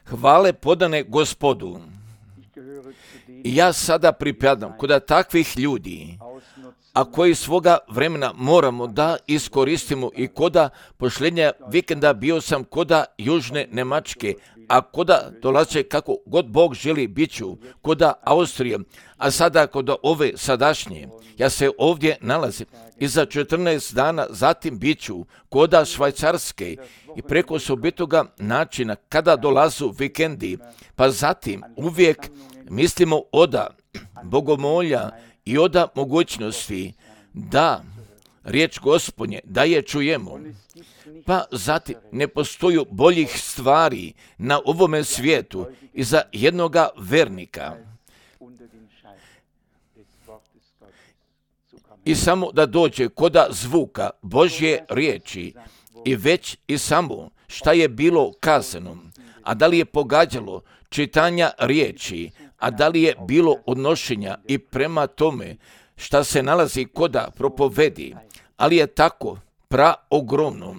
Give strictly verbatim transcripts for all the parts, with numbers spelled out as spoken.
Hvale podane Gospodu. I ja sada pripadam kod takvih ljudi, a koji svoga vremena moramo da iskoristimo i koda pošljenja vikenda bio sam koda Južne Nemačke, a koda dolaze kako god Bog želi bit ću, koda Austrije, a sada koda ove sadašnje. Ja se ovdje nalazim i za četrnaest dana zatim bit ću koda Švajcarske i preko osobitoga načina kada dolazu vikendi, pa zatim uvijek mislimo oda bogomolja i oda mogućnosti da riječ Gospodnje, da je čujemo. Pa zatim ne postoju boljih stvari na ovome svijetu i za jednoga vernika. I samo da dođe koda zvuka Božje riječi i već i samo šta je bilo kazano, a da li je pogađalo čitanja riječi, a da li je bilo odnošenja i prema tome šta se nalazi koda propovedi, ali je tako praogromno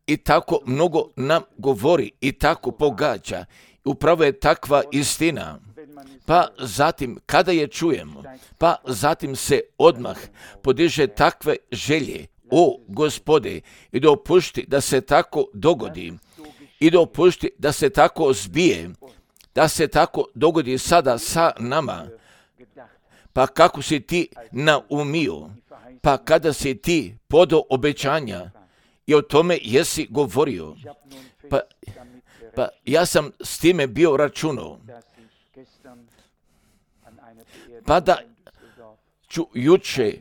i tako mnogo nam govori i tako pogađa. Upravo je takva istina. Pa zatim kada je čujemo, pa zatim se odmah podiže takve želje, o Gospode, i dopušti da se tako dogodi i dopušti da se tako zbije, da se tako dogodi sada sa nama. Pa kako si ti naumio, pa kada si ti podo obećanja i o tome jesi govorio, pa, pa ja sam s time bio računao, pa da ću juče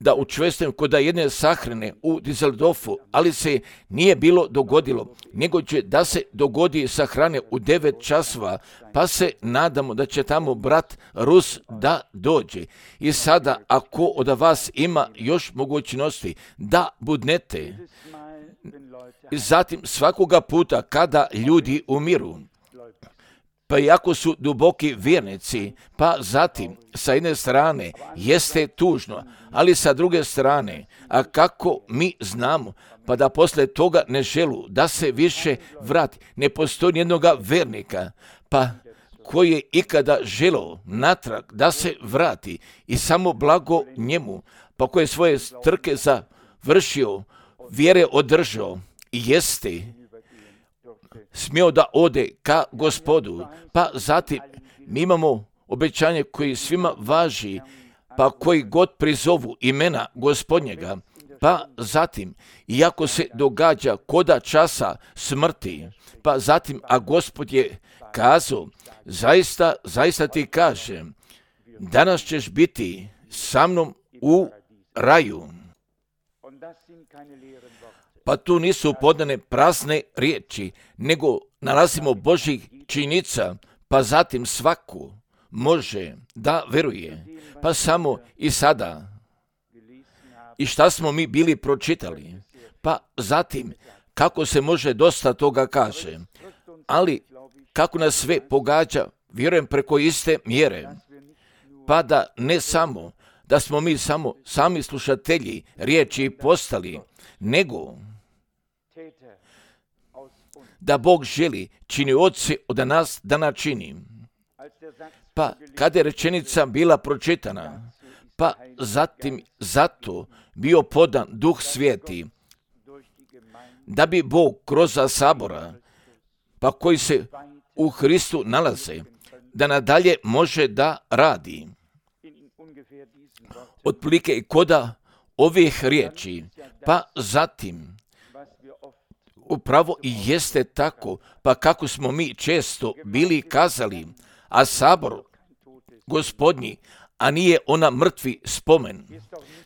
da učestvujem kod jedne sahrane u Düsseldorfu, ali se nije bilo dogodilo, nego će da se dogodi sahrane u devet časova, pa se nadamo da će tamo brat Rus da dođe. I sada, ako od vas ima još mogućnosti da budnete, i zatim svakoga puta kada ljudi umiru, pa iako su duboki vjernici, pa zatim sa jedne strane jeste tužno, ali sa druge strane, a kako mi znamo, pa da posle toga ne želu da se više vrati, ne postoji jednoga vjernika, pa koji je ikada želeo natrag da se vrati i samo blago njemu, pa koji je svoje trke završio, vjere održao i jeste smio da ode ka Gospodu, pa zatim mi imamo obećanje koji svima važi, pa koji god prizovu imena Gospodnjega, pa zatim, iako se događa koda časa smrti, pa zatim, a Gospod je kazao, zaista, zaista ti kažem, danas ćeš biti sa mnom u raju. Pa tu nisu podane prazne riječi, nego nalazimo Božjih činjenica, pa zatim svaku može da veruje. Pa samo i sada. I šta smo mi bili pročitali? Pa zatim, kako se može dosta toga kaže, ali kako nas sve pogađa, vjerujem preko iste mjere, pa da ne samo, da smo mi samo sami slušatelji riječi postali, nego da Bog želi činioci od nas da načini. Pa kada je rečenica bila pročitana, pa zatim zato bio podan Duh Sveti, da bi Bog kroz sabora, pa koji se u Hristu nalaze, da nadalje može da radi. Otprilike i koda ovih riječi, pa zatim upravo i jeste tako, pa kako smo mi često bili kazali, a sabor Gospodnji, a nije ona mrtvi spomen,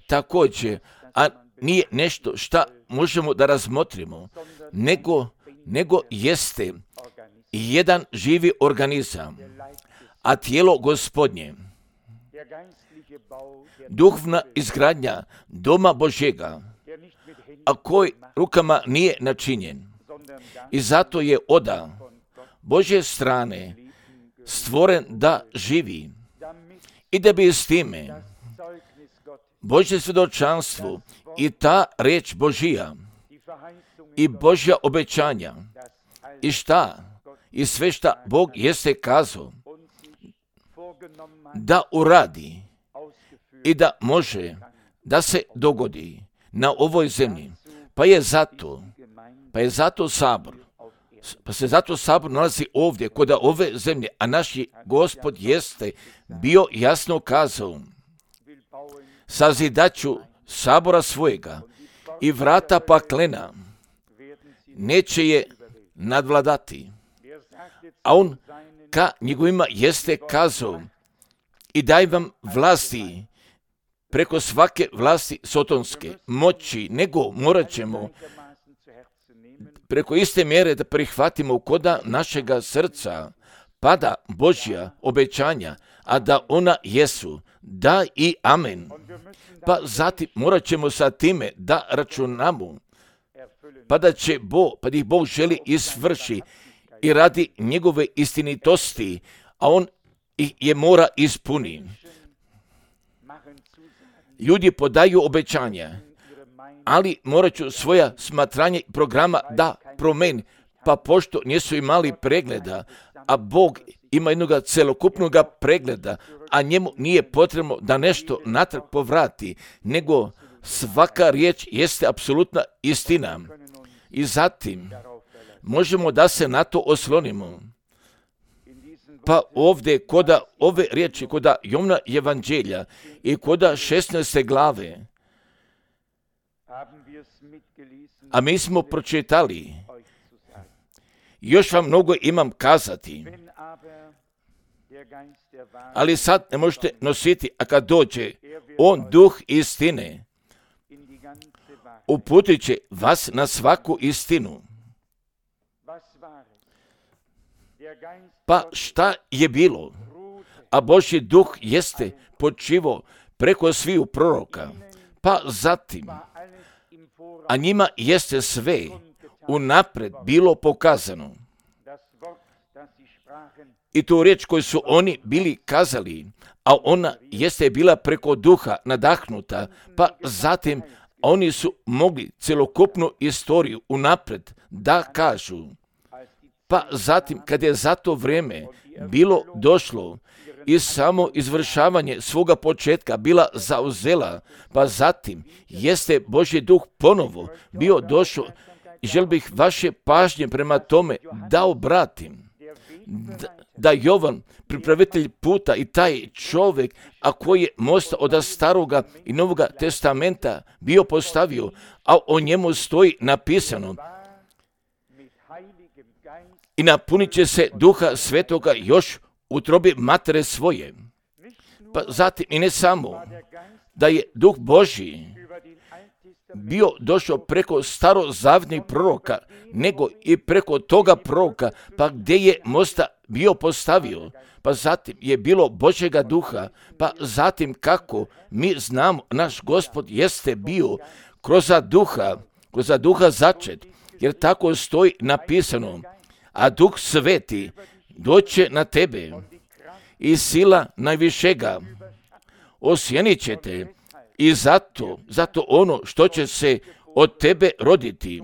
također, a nije nešto šta možemo da razmotrimo, nego, nego jeste jedan živi organizam, a tijelo Gospodnje, duhovna izgradnja doma Božjega, a koji rukama nije načinjen. I zato je oda Božje strane stvoren da živi i da bi s time Božje svjedočanstvo i ta reč Božija i Božja obećanja, i šta i sve šta Bog jeste kazao da uradi i da može da se dogodi na ovoj zemlji. Pa je zato, pa je zato sabor, pa se zato sabor nalazi ovdje kod ove zemlje, a naš Gospod jeste bio jasno kazao: sazidaću sabora svojega i vrata paklena neće je nadvladati. A on ka njegovima jeste kazao: i daj vam vlasti preko svake vlasti sotonske moći, nego morat ćemo preko iste mjere da prihvatimo koda našega srca pada Božja obećanja, a da ona jesu da i amen. Pa zatim morat ćemo sa time da računamo, pa da će Bog, pa da ih Bog želi isvrši i radi njegove istinitosti, a on ih je mora ispuni. Ljudi podaju obećanja, ali morat ću svoja smatranje programa da promeni, pa pošto nisu imali pregleda, a Bog ima jednog celokupnog pregleda, a njemu nije potrebno da nešto natrag povrati, nego svaka riječ jeste apsolutna istina. I zatim možemo da se na to oslonimo. Pa ovdje koda ove riječi, koda Jovana evanđelja i koda šesnaeste glave, a mi smo pročitali, još vam mnogo imam kazati, ali sad ne možete nositi, a kad dođe on, duh istine, uputit će vas na svaku istinu. Pa šta je bilo? A Božji duh jeste počivo preko sviju proroka, pa zatim, a njima jeste sve unapred bilo pokazano. I tu riječ koju su oni bili kazali, a ona jeste bila preko duha nadahnuta, pa zatim oni su mogli celokupnu istoriju unapred da kažu. Pa zatim, kad je za to vrijeme bilo došlo i samo izvršavanje svoga početka bila zauzela, pa zatim jeste Božji duh ponovo bio došao i žel bih vaše pažnje prema tome da obratim. Da, da Jovan, pripravitelj puta i taj čovjek, a koji je most od staroga i novoga testamenta bio postavio, a o njemu stoji napisano: i napunit će se duha svetoga još u trobi matere svoje. Pa zatim i ne samo da je duh Božji bio došao preko starozavjetnih proroka, nego i preko toga proroka, pa gdje je mosta bio postavio, pa zatim je bilo Božjega duha, pa zatim kako mi znamo, naš Gospod jeste bio kroz duha, kroz duha začet, jer tako stoji napisano: a duh sveti doće na tebe i sila najvišega osjenit će te, i zato, zato ono što će se od tebe roditi,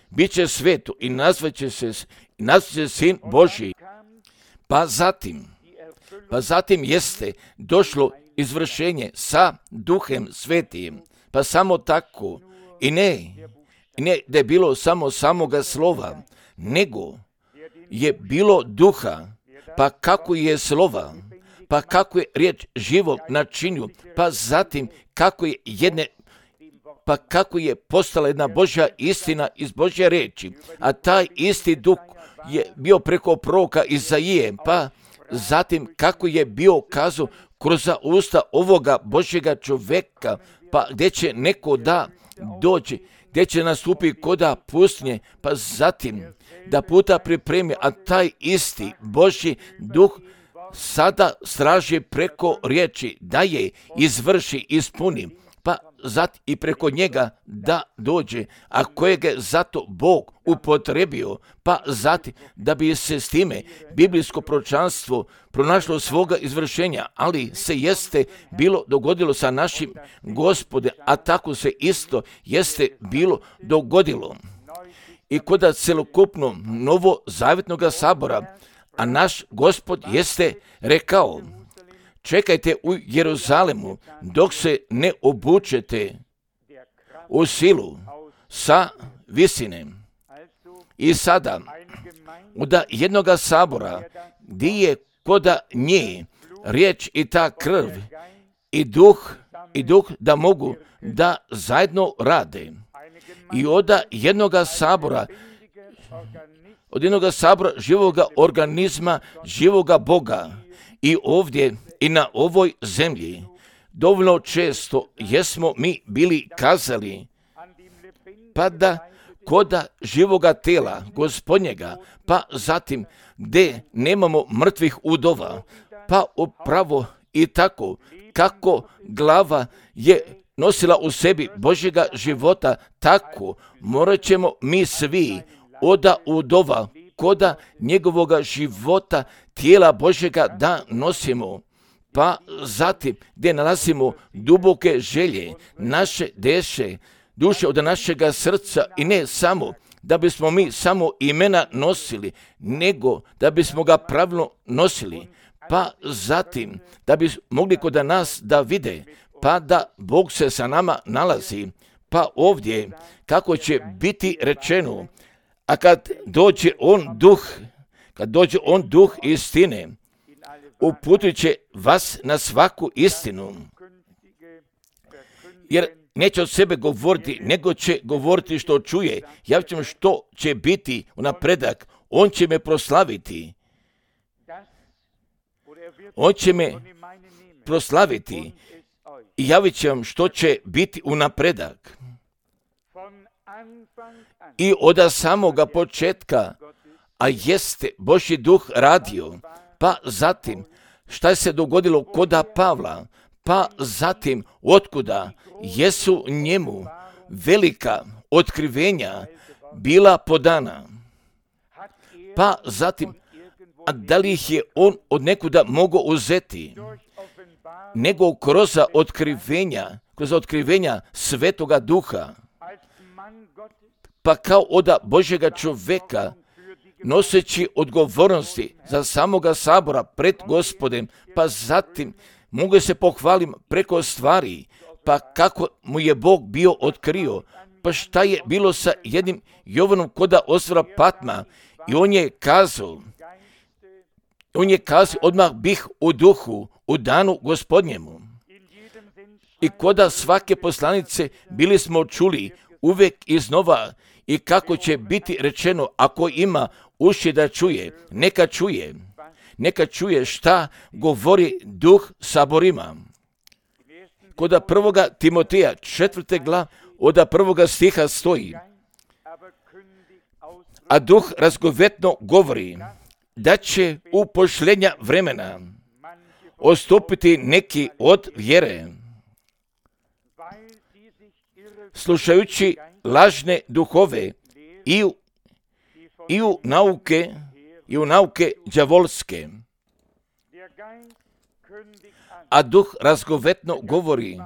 bit će sveto i nazvat će se, nazvat će sin Božji. Pa zatim, pa zatim jeste došlo izvršenje sa duhem svetim, pa samo tako, i ne, i ne da je bilo samo samoga slova, nego je bilo duha, pa kako je slova, pa kako je riječ živom načinju, pa zatim kako je jedne, pa kako je postala jedna Božja istina iz Božje riječi, a taj isti duh je bio preko proroka Izaije, pa zatim kako je bio kazao kroz usta ovoga Božjega čovjeka, pa gdje će neko da dođe, gdje će nastupi koda pustinje, pa zatim da puta pripremi, a taj isti Božji duh sada straži preko riječi da je izvrši, ispuni, pa zatim i preko njega da dođe, a kojeg je zato Bog upotrebio, pa zatim da bi se s time biblijsko proročanstvo pronašlo svoga izvršenja, ali se jeste bilo dogodilo sa našim Gospodem, a tako se isto jeste bilo dogodilo. i kod celokupno novozavjetnog sabora, a naš Gospod jeste rekao, čekajte u Jeruzalemu dok se ne obučete u silu sa visine. I sada, od jednog sabora, gdje je koda nje riječ i ta krv i duh, i duh da mogu da zajedno rade. I od jednog sabora, od jednog sabora živoga organizma, živoga Boga, i ovdje i na ovoj zemlji, dovoljno često jesmo mi bili kazali, pa da koda živoga tela Gospodnjega, pa zatim gdje nemamo mrtvih udova, pa upravo i tako kako glava je nosila u sebi Božjega života, tako morat ćemo mi svi oda udova koda njegovoga života tijela Božjega da nosimo. Pa zatim gdje nalazimo duboke želje, naše deše, duše od našega srca, i ne samo da bismo mi samo imena nosili, nego da bismo ga pravilno nosili, pa zatim da bi mogli kod nas da vide, pa da Bog se sa nama nalazi. Pa ovdje kako će biti rečeno, a kad dođe on duh, kad dođe on duh istine, uputit će vas na svaku istinu, jer neće od sebe govoriti, nego će govoriti što čuje. Ja ću što će biti u napredak. On će me proslaviti. On će me proslaviti i javit će vam što će biti u napredak. I od samoga početka, a jeste Božji duh radio, pa zatim šta se dogodilo koda Pavla, pa zatim otkuda jesu njemu velika otkrivenja bila podana, pa zatim, a da li ih je on od nekuda mogao uzeti, nego kroz otkrivenja, kroz otkrivenja Svetoga Duha, pa kao od Božjega čoveka, noseći odgovornosti za samoga sabora pred Gospodem, pa zatim mogu se pohvalim preko stvari, pa kako mu je Bog bio otkrio, pa šta je bilo sa jednim Jovanom koda ostrva Patma, i on je kazao, on je kazao, odmah bih u duhu, u danu Gospodnjemu. I koda svake poslanice bili smo čuli uvek iznova, i kako će biti rečeno, ako ima uši da čuje, neka čuje, neka čuje šta govori duh saborima. Koda prvoga Timoteja, četvrte glav, od prvoga stiha stoji, a duh razgovetno govori da će u pošljenja vremena odstupiti neki od vjere, slušajući lažne duhove i u, i u nauke i u nauke đavolske. A duh razgovetno govori,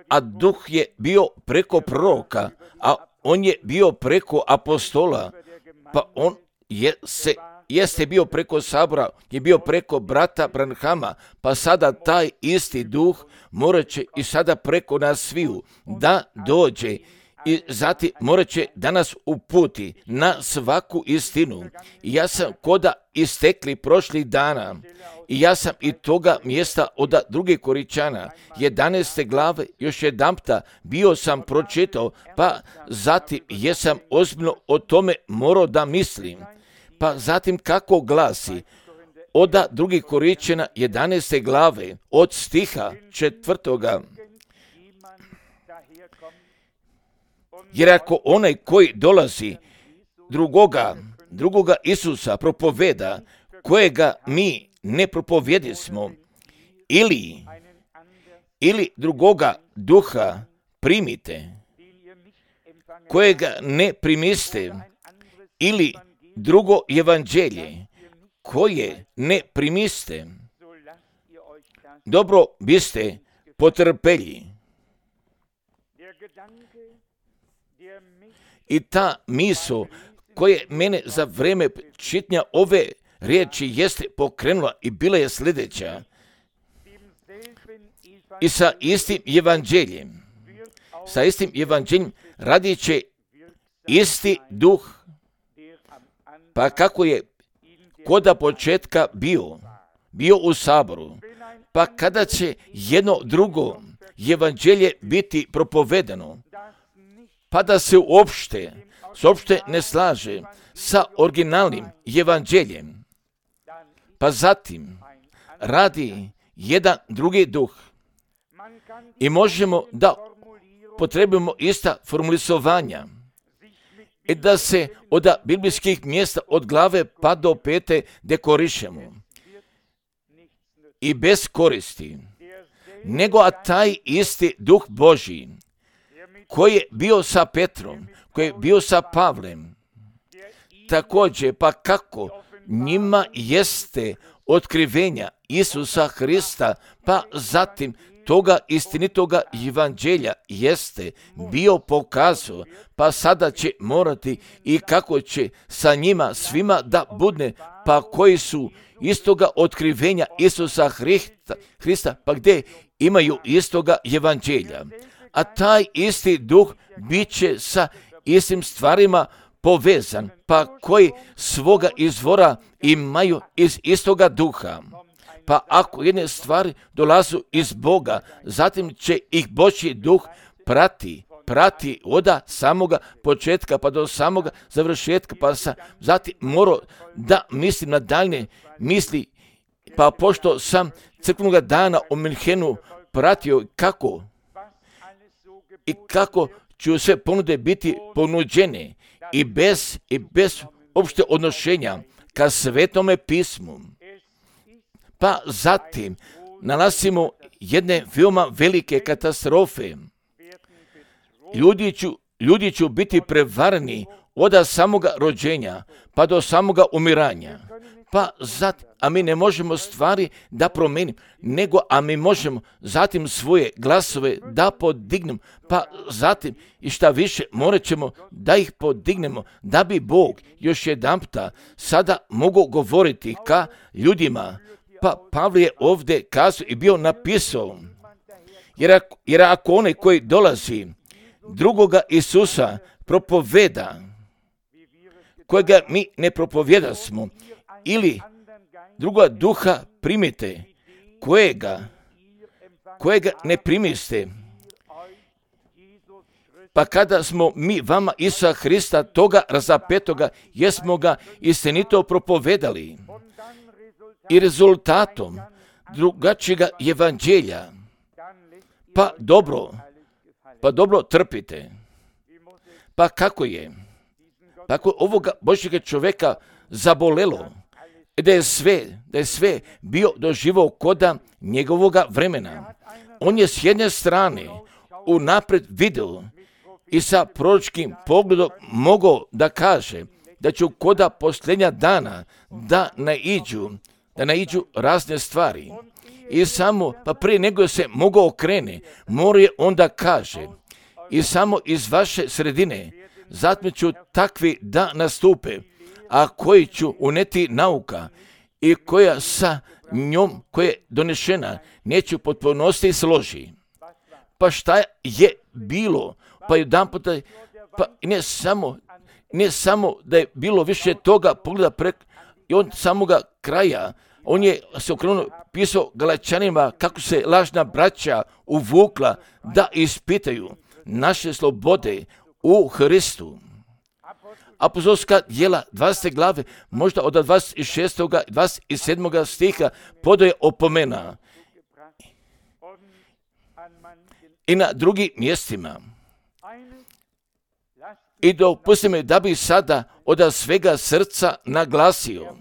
a duh je bio preko proroka, a on je bio preko apostola, pa on je se jeste bio preko sabora, je bio preko brata Branhama, pa sada taj isti duh morat će i sada preko nas sviju da dođe, i zatim morat će da nas uputi na svaku istinu. I ja sam koda istekli prošlih dana, i ja sam i toga mjesta od druge Koričana, jedanaeste glave, još jedanpta bio sam pročitao, pa zatim jesam ozbiljno o tome morao da mislim. Pa zatim kako glasi, od drugih Koričana jedanaeste glave, od stiha četvrtoga. Jer ako onaj koji dolazi drugoga, drugoga Isusa propoveda, kojega mi ne propovjedismo, ili, ili drugoga duha primite, kojega ne primiste, ili drugo evanđelje, koje ne primiste, dobro biste potrpelji. I ta misao koje mene za vrijeme čitanja ove riječi jeste pokrenula i bila je sljedeća. I sa istim evanđeljem, sa istim evanđeljem radit će isti duh, pa kako je koda početka bio, bio u saboru, pa kada će jedno drugo evanđelje biti propovedano, pa da se uopšte, uopšte ne slaže sa originalnim evanđeljem, pa zatim radi jedan drugi duh i možemo da potrebujemo ista formulisovanja i da se od biblijskih mjesta od glave pa do pete dekorišemo i bez koristi, nego a taj isti duh Božji koji je bio sa Petrom, koji je bio sa Pavlem, također pa kako njima jeste otkrivenja Isusa Hrista, pa zatim toga istinitoga evanđelja jeste bio pokazao, pa sada će morati i kako će sa njima svima da budne, pa koji su istoga otkrivenja Isusa Hrista, Hrista pa gdje imaju istoga evanđelja. A taj isti duh bit će sa istim stvarima povezan, pa koji svoga izvora imaju iz istoga duha. Pa ako jedne stvari dolazu iz Boga, zatim će ih Božji duh prati, prati od samoga početka pa do samoga završetka, pa sa, zatim mora da mislim na daljne misli, pa pošto sam crkvenog dana u Minhenu pratio kako i kako ću sve ponude biti ponuđene i bez, i bez opšte odnošenja ka Svetome pismu. Pa zatim nalazimo jedne veoma velike katastrofe. Ljudi ću, ljudi ću biti prevareni od samoga rođenja pa do samoga umiranja. Pa zatim, a mi ne možemo stvari da promenimo, nego a mi možemo zatim svoje glasove da podignemo, pa zatim i šta više morat ćemo da ih podignemo, da bi Bog još jedanputa sada mogu govoriti ka ljudima. Pa Pavle je ovdje kazao i bio napisao, jer ako, jer ako onaj koji dolazi drugoga Isusa propoveda, kojega mi ne propovijedasmo, ili druga duha primite, kojega, kojega ne primiste, pa kada smo mi vama Isusa Hrista toga razapetoga, jesmo ga istinito propovedali i rezultatom drugačijega evanđelja, pa dobro, pa dobro trpite. Pa kako je? Pa ako ovoga Božjega čovjeka zabolelo, da je sve, da je sve bio doživao koda njegovoga vremena. On je s jedne strane unaprijed vidio i sa proročkim pogledom mogao da kaže da će koda posljednja dana da naiđu, da naiđu razne stvari. I samo, pa prije nego se mogao okrene, mora je onda kaže, i samo iz vaše sredine, zatim ću takvi da nastupe, a koji ću uneti nauka i koja sa njom, koja je donešena, neću potpunosti složi. Pa šta je bilo? Pa jedan puta, pa ne samo, ne samo da je bilo više toga pogleda prek, i on samoga kraja, on je se okrenuo, pisao Galačanima kako se lažna braća uvukla da ispitaju naše slobode u Hristu. Apostolska djela dvadesete glave, možda od dvadeset šestog i dvadeset sedmog stiha podaje opomena. I na drugim mjestima. I dopusti me da bi sada od svega srca naglasio,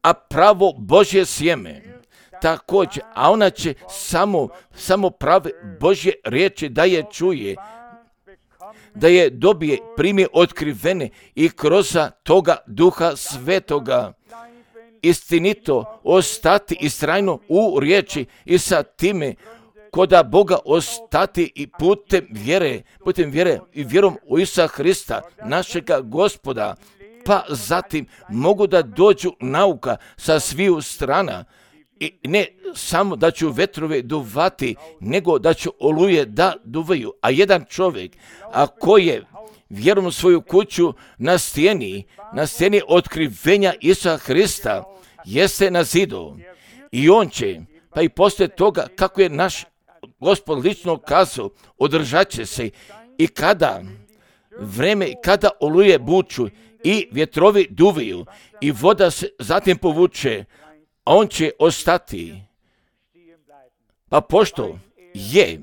a pravo Božje sjeme također, a ona će samo, samo prave Božje riječi da je čuje, da je dobije, primi otkrivene i kroz toga Duha Svetoga istinito ostati istrajno u riječi i sa time koda Boga ostati i putem vjere, putem vjere i vjerom u Isusa Hrista, našega Gospoda, pa zatim mogu da dođu nauka sa sviju strana i ne samo da ću vetrove duvati, nego da ću oluje da duvaju. A jedan čovjek, ako je vjerom svoju kuću na stijeni, na stijeni otkrivenja Isusa Hrista, jeste na zidu i on će, pa i poslije toga, kako je naš Gospod lično kazao, održat će se i kada vreme, kada oluje buču i vjetrovi duvaju i voda se zatim povuče, a on će ostati. Pa pošto je,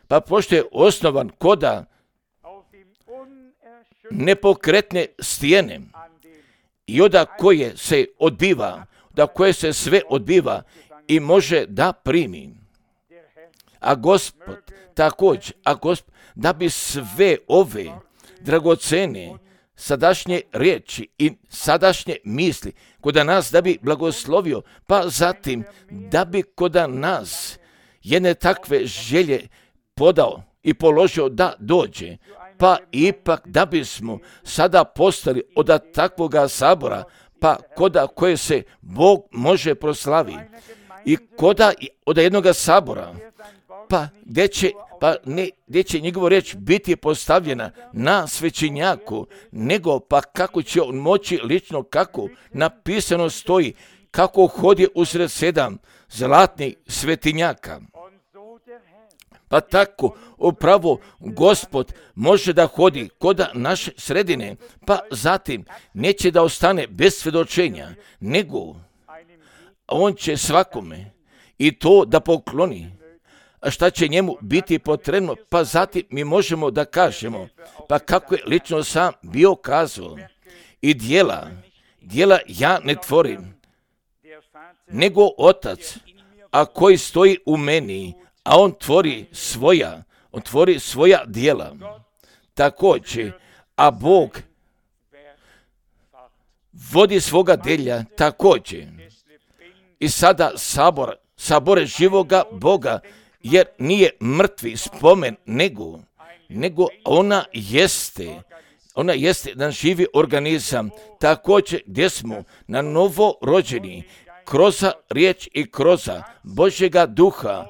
pa pošto je osnovan koda nepokretne stijene i oda koje se odbiva, da koje se sve odbiva i može da primi. A Gospod također, a Gospod, da bi sve ove dragocene sadašnje riječi i sadašnje misli koda nas da bi blagoslovio, pa zatim da bi koda nas jedne takve želje podao i položio da dođe, pa ipak da bismo sada postali od takvoga sabora, pa koda koje se Bog može proslavi i koda od jednoga sabora, pa gdje će, pa ne, gdje će njegova riječ biti postavljena na svećenjaku, nego pa kako će on moći lično, kako napisano stoji, kako hodi usred sedam zlatnih svetinjaka. Pa tako upravo Gospod može da hodi koda naše sredine, pa zatim neće da ostane bez svjedočenja, nego on će svakome i to da pokloni. A šta će njemu biti potrebno, pa zatim mi možemo da kažemo, pa kako je lično sam bio kazao, i djela, djela ja ne tvorim, nego Otac, a koji stoji u meni, a on tvori svoja, on tvori svoja djela. Također, a Bog vodi svoga delja također. I sada sabor, sabore živoga Boga, jer nije mrtvi spomen, nego, nego ona jeste, ona jeste jedan živi organizam, također gdje smo na novo rođeni, kroz riječ i kroz Božjega duha,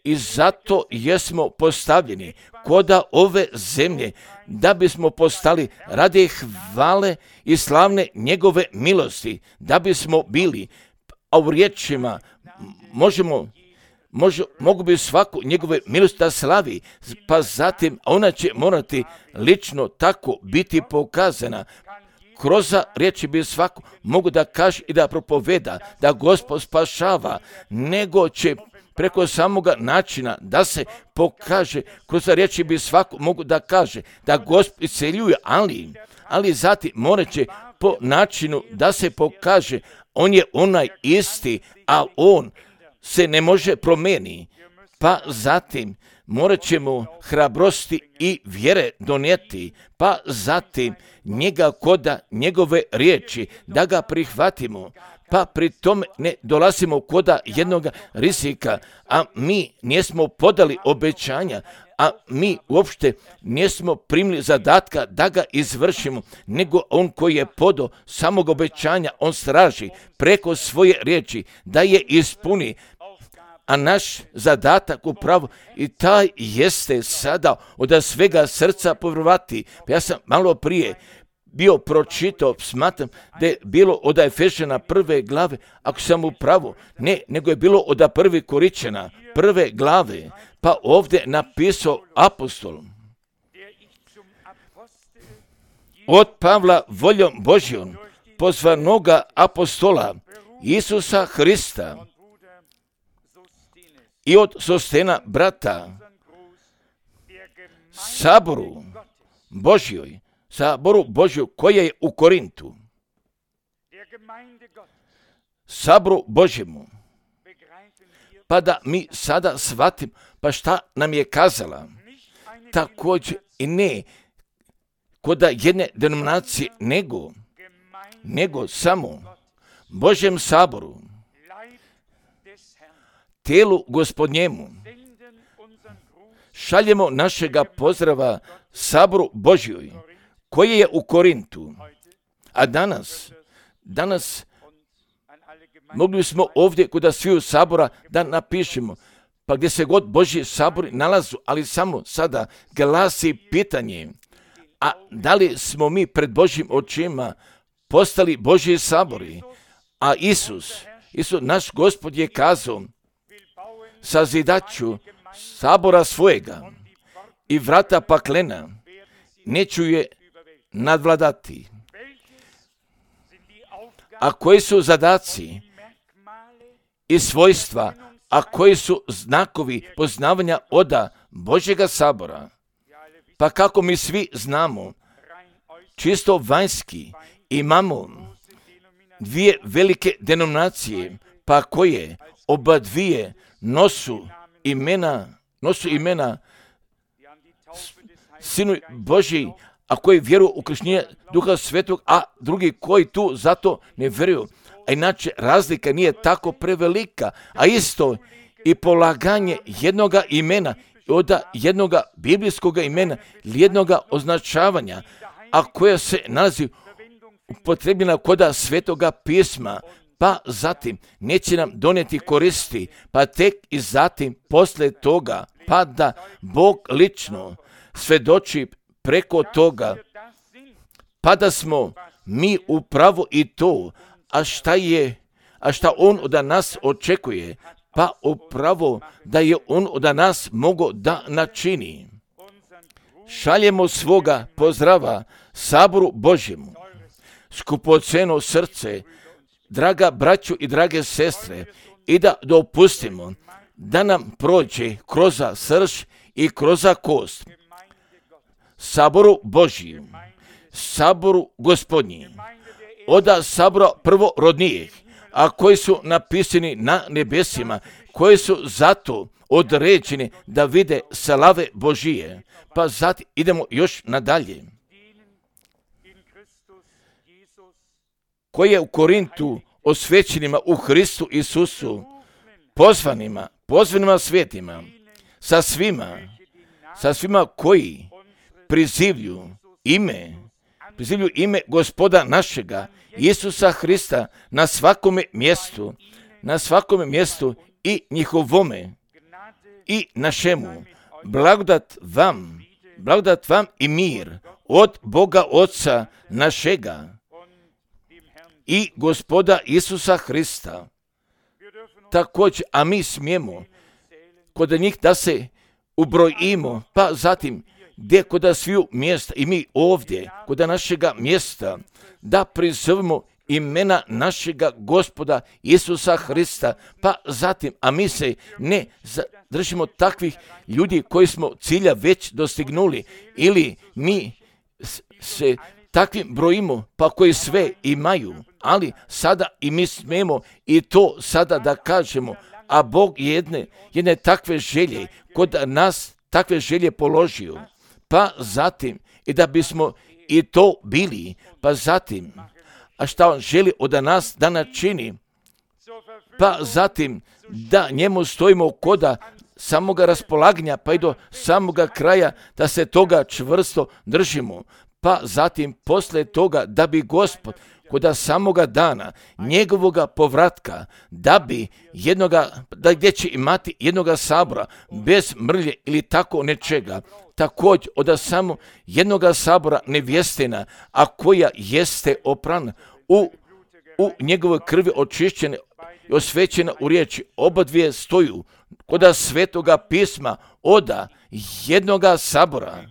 i zato jesmo postavljeni koda ove zemlje, da bismo postali radi hvale i slavne njegove milosti, da bismo bili, a u riječima možemo Može, mogu bi svaku njegove milosti da slavi, pa zatim ona će morati lično tako biti pokazana. Kroz riječi bi svaku mogu da kaže i da propoveda da Gospod spašava, nego će preko samoga načina da se pokaže, kroz riječi bi svaku mogu da kaže da Gospod isceljuje, ali, ali zatim morat će po načinu da se pokaže, on je onaj isti, a on se ne može promijeni, pa zatim morat ćemo hrabrosti i vjere donijeti, pa zatim njega koda njegove riječi, da ga prihvatimo, pa pri tome ne dolazimo koda jednog rizika, a mi nismo podali obećanja, a mi uopšte nismo primili zadatka da ga izvršimo, nego on koji je podao samog obećanja, on straži preko svoje riječi da je ispuni. A naš zadatak upravo i taj jeste sada od svega srca povjerovati. Ja sam malo prije bio pročitao, smatram da je bilo od Efešana prve glave, ako sam upravo, ne, nego je bilo od prve Koričana prve glave, pa ovdje napisao apostol. Od Pavla voljom Božjom, pozvanoga apostola Isusa Hrista, i od Sostena brata, saboru Božjoj, saboru Božju koja je u Korintu, saboru Božjemu, pa da mi sada shvatim, pa šta nam je kazala, također i ne koda jedne denominacije, nego, nego samo Božjem saboru, tijelu Gospodnjemu, šaljemo našega pozdrava Saboru Božjoj, koji je u Korintu. A danas, danas mogli smo ovdje kod sviju sabora da napišemo, pa gdje se god Božji sabori nalazu, ali samo sada glasi pitanje, a da li smo mi pred Božjim očima postali Božji sabori? A Isus, Isus, naš Gospod je kazao, sazidaću sabora svojega i vrata paklena neću je nadvladati. A koji su zadaci i svojstva, a koji su znakovi poznavanja oda Božjega sabora? Pa kako mi svi znamo, čisto vanjski imamo dvije velike denominacije, pa koje oba dvije nosu imena, nosu imena Sinu Božji, a koji vjeruju u krštenje Duha Svetog, a drugi koji tu zato ne vjeruju. A inače razlika nije tako prevelika, a isto i polaganje jednoga imena, od jednoga biblijskog imena, jednoga označavanja, a koja se nalazi upotrebljena koda Svetoga pisma, pa zatim neće nam donijeti koristi, pa tek i zatim posle toga, pa da Bog lično svedoči preko toga, pa da smo mi upravo i to, a šta je, a šta On od nas očekuje, pa upravo da je On od nas mogao da načini. Šaljemo svoga pozdrava Saboru Božjemu, skupoceno srce, draga braćo i drage sestre, i da dopustimo da nam prođe kroz srž i kroz kost. Saboru Božjem, Saboru Gospodnjim, oda sabora prvorodnijih, a koji su napisani na nebesima, koji su zato određeni da vide slave Božije. Pa zatim idemo još nadalje. Koji je u Korintu osvećenima u Hristu Isusu, pozvanima, pozvanima svetima, sa svima, sa svima koji prizivlju ime, prizivlju ime Gospoda našega, Isusa Hrista, na svakome mjestu, na svakome mjestu i njihovome i našemu. Blagodat vam, blagodat vam i mir od Boga Oca našega i Gospoda Isusa Hrista. Također, a mi smijemo kod njih da se ubrojimo, pa zatim gdje kod sviju mjesta i mi ovdje, kod našega mjesta, da prizovemo imena našega Gospoda Isusa Hrista, pa zatim, a mi se ne držimo takvih ljudi koji smo cilja već dostignuli, ili mi se takvim brojimo, pa koji sve imaju, ali sada i mi smemo i to sada da kažemo, a Bog jedne, jedne takve želje kod nas takve želje položio, pa zatim i da bismo i to bili, pa zatim, a šta On želi od nas da načini, pa zatim da njemu stojimo koda samoga raspolaganja, pa i do samoga kraja, da se toga čvrsto držimo, pa zatim posle toga da bi Gospod koda samoga dana njegovoga povratka, da bi jednoga, da gdje će imati jednoga sabora bez mrlje ili tako nečega, također od samo jednoga sabora nevjestina, a koja jeste oprana u, u njegovoj krvi očišćena i osvećena u riječi, oba dvije stoju koda Svetoga pisma oda jednoga sabora,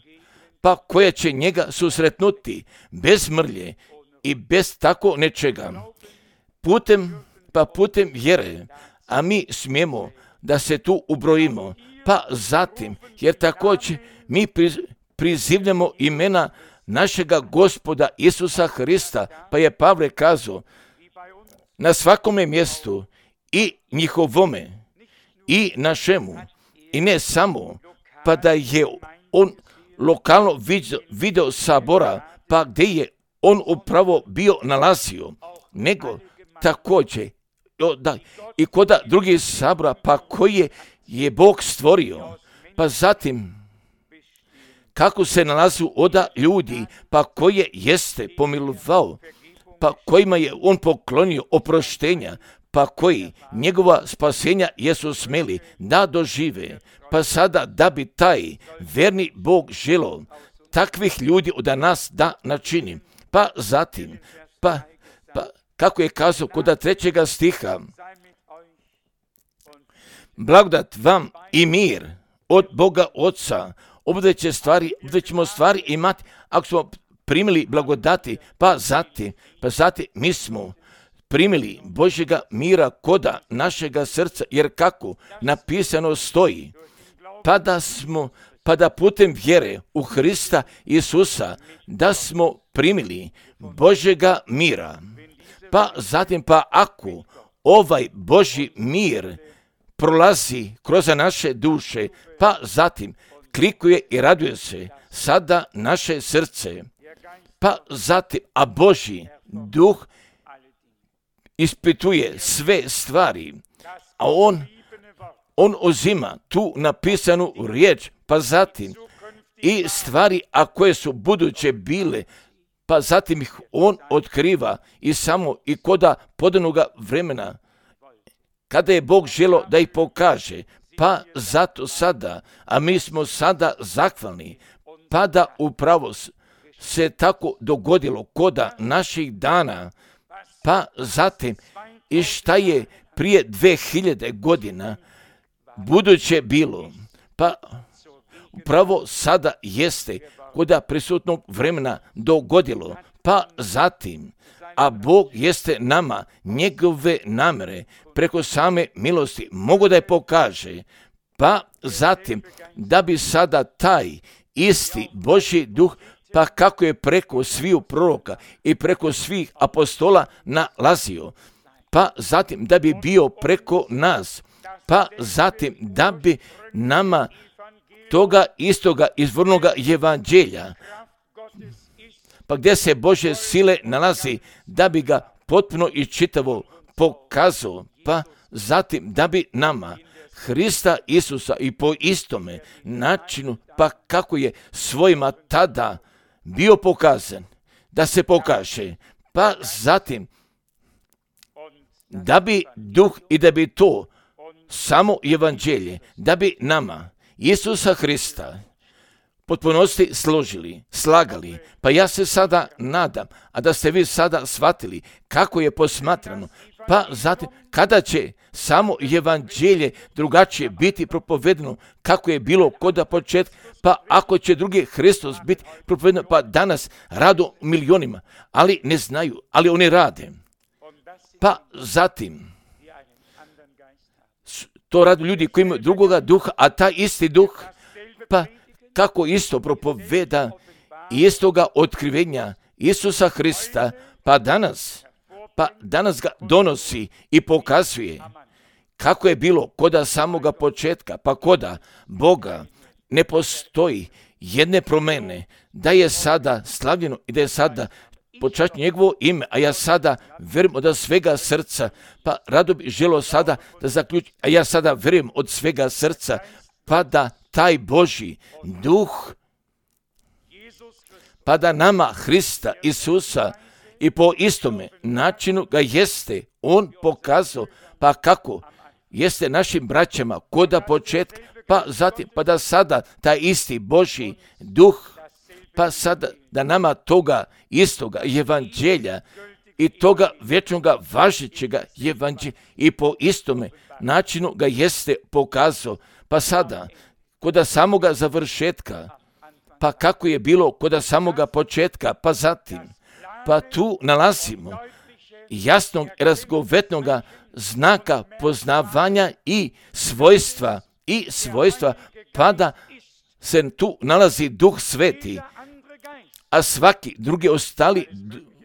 pa koja će njega susretnuti bez mrlje i bez tako nečega. Putem, pa putem vjere, a mi smijemo da se tu ubrojimo, pa zatim, jer također mi prizivljamo imena našega Gospoda Isusa Hrista, pa je Pavle kazao, na svakome mjestu i njihovome i našemu, i ne samo, pa da je on lokalno vidio, video sabora, pa gdje je on upravo bio nalazio, nego također da, i kod drugih sabora, pa koje je Bog stvorio, pa zatim kako se nalazu oda ljudi, pa koje jeste pomilovao, pa kojima je on poklonio oproštenja, pa koji njegova spasenja jesu smeli da dožive, pa sada da bi taj verni Bog želeo takvih ljudi od nas da načini. Pa zatim, pa, pa kako je kazao kod trećega stiha, blagodat vam i mir od Boga Oca, ovdje će stvari, ovdje ćemo stvari imati ako smo primili blagodati, pa zatim, pa zatim mi smo primili Božjega mira koda našega srca, jer kako napisano stoji, pa da smo, pa da putem vjere u Hrista Isusa, da smo primili Božjega mira. Pa zatim, pa ako ovaj Božji mir prolazi kroz naše duše, pa zatim klikuje i raduje se sada naše srce, pa zatim, a Božji duh ispituje sve stvari, a on, on uzima tu napisanu riječ, pa zatim i stvari, a koje su buduće bile, pa zatim ih on otkriva i samo i koda podanoga vremena, kada je Bog želio da ih pokaže, pa zato sada, a mi smo sada zahvalni, pa da upravo se tako dogodilo koda naših dana, pa zatim i šta je prije dve hiljade godina buduće bilo, pa upravo sada jeste koda prisutnog vremena dogodilo, pa zatim, a Bog jeste nama njegove namere preko same milosti mogu da je pokaže, pa zatim da bi sada taj isti Božji duh, pa kako je preko sviju proroka i preko svih apostola nalazio, pa zatim da bi bio preko nas, pa zatim da bi nama toga istoga izvornoga evanđelja, pa gdje se Božje sile nalazi, da bi ga potpuno i čitavo pokazao, pa zatim da bi nama Hrista Isusa i po istome načinu, pa kako je svojima tada bio pokazan, da se pokaže, pa zatim da bi duh i da bi to samo evanđelje, da bi nama Isusa Hrista potpunosti složili, slagali, pa ja se sada nadam, a da ste vi sada shvatili kako je posmatrano, pa zatim kada će samo evanđelje drugačije biti propovedeno kako je bilo kod početka, pa ako će drugi Hristos biti propovedeno, pa danas rado milionima, ali ne znaju, ali oni rade. Pa zatim, to rade ljudi koji imaju drugoga duha, a taj isti duh, pa kako isto propoveda istoga otkrivenja Isusa Hrista, pa danas, pa danas ga donosi i pokazuje kako je bilo koda samoga početka, pa koda Boga ne postoji jedne promjene, da je sada slavljeno i da je sada počast njegovo ime, a ja sada vjerujem od svega srca, pa rado bi želio sada da zaključim, a ja sada vjerujem od svega srca, pa da taj Božji duh, pa da nama Hrista Isusa i po istome načinu ga jeste on pokazao, pa kako jeste našim braćama koda početka, pa zatim, pa da sada taj isti Božji duh, pa sada da nama toga istoga evanđelja i toga vječnoga važećega evanđelja i po istome načinu ga jeste pokazao, pa sada koda samoga završetka, pa kako je bilo koda samoga početka, pa zatim, pa tu nalazimo jasnog razgovetnoga znaka poznavanja i svojstva, i svojstva, pa da se tu nalazi Duh Sveti, a svaki drugi ostali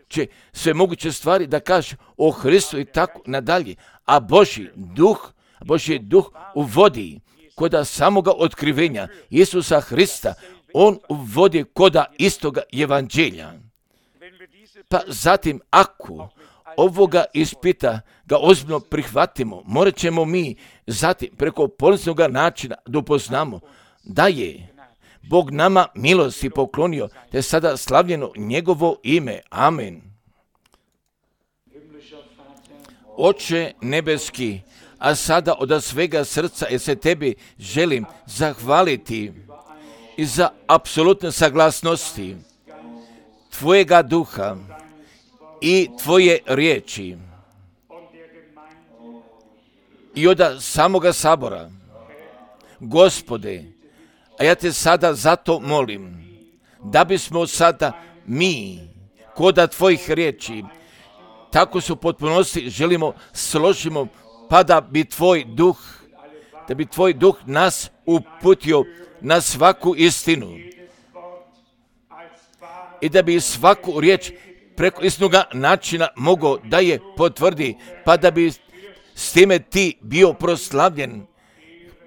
će sve moguće stvari da kaže o Hristu i tako nadalje, a Božji duh, Božji duh uvodi koda samoga otkrivenja Isusa Hrista, on uvodi koda istoga evanđelja. Pa zatim, ako ovoga ispita ga ozbiljno prihvatimo, morat ćemo mi zatim preko poniznoga načina da upoznamo da je Bog nama milosti poklonio, te sada slavljeno njegovo ime. Amen. Oče nebeski, a sada od svega srca jer se tebi želim zahvaliti i za apsolutne saglasnosti tvojega duha i tvoje riječi i od samoga sabora. Gospode, a ja te sada zato molim da bismo sada mi koda tvojih riječi tako su potpunosti želimo složimo, pa da bi tvoj duh, da bi tvoj duh nas uputio na svaku istinu i da bi svaku riječ preko istinoga načina mogao da je potvrdi, pa da bi s time ti bio proslavljen.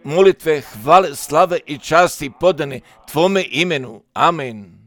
Molitve, hvale, slave i časti podane tvome imenu. Amen.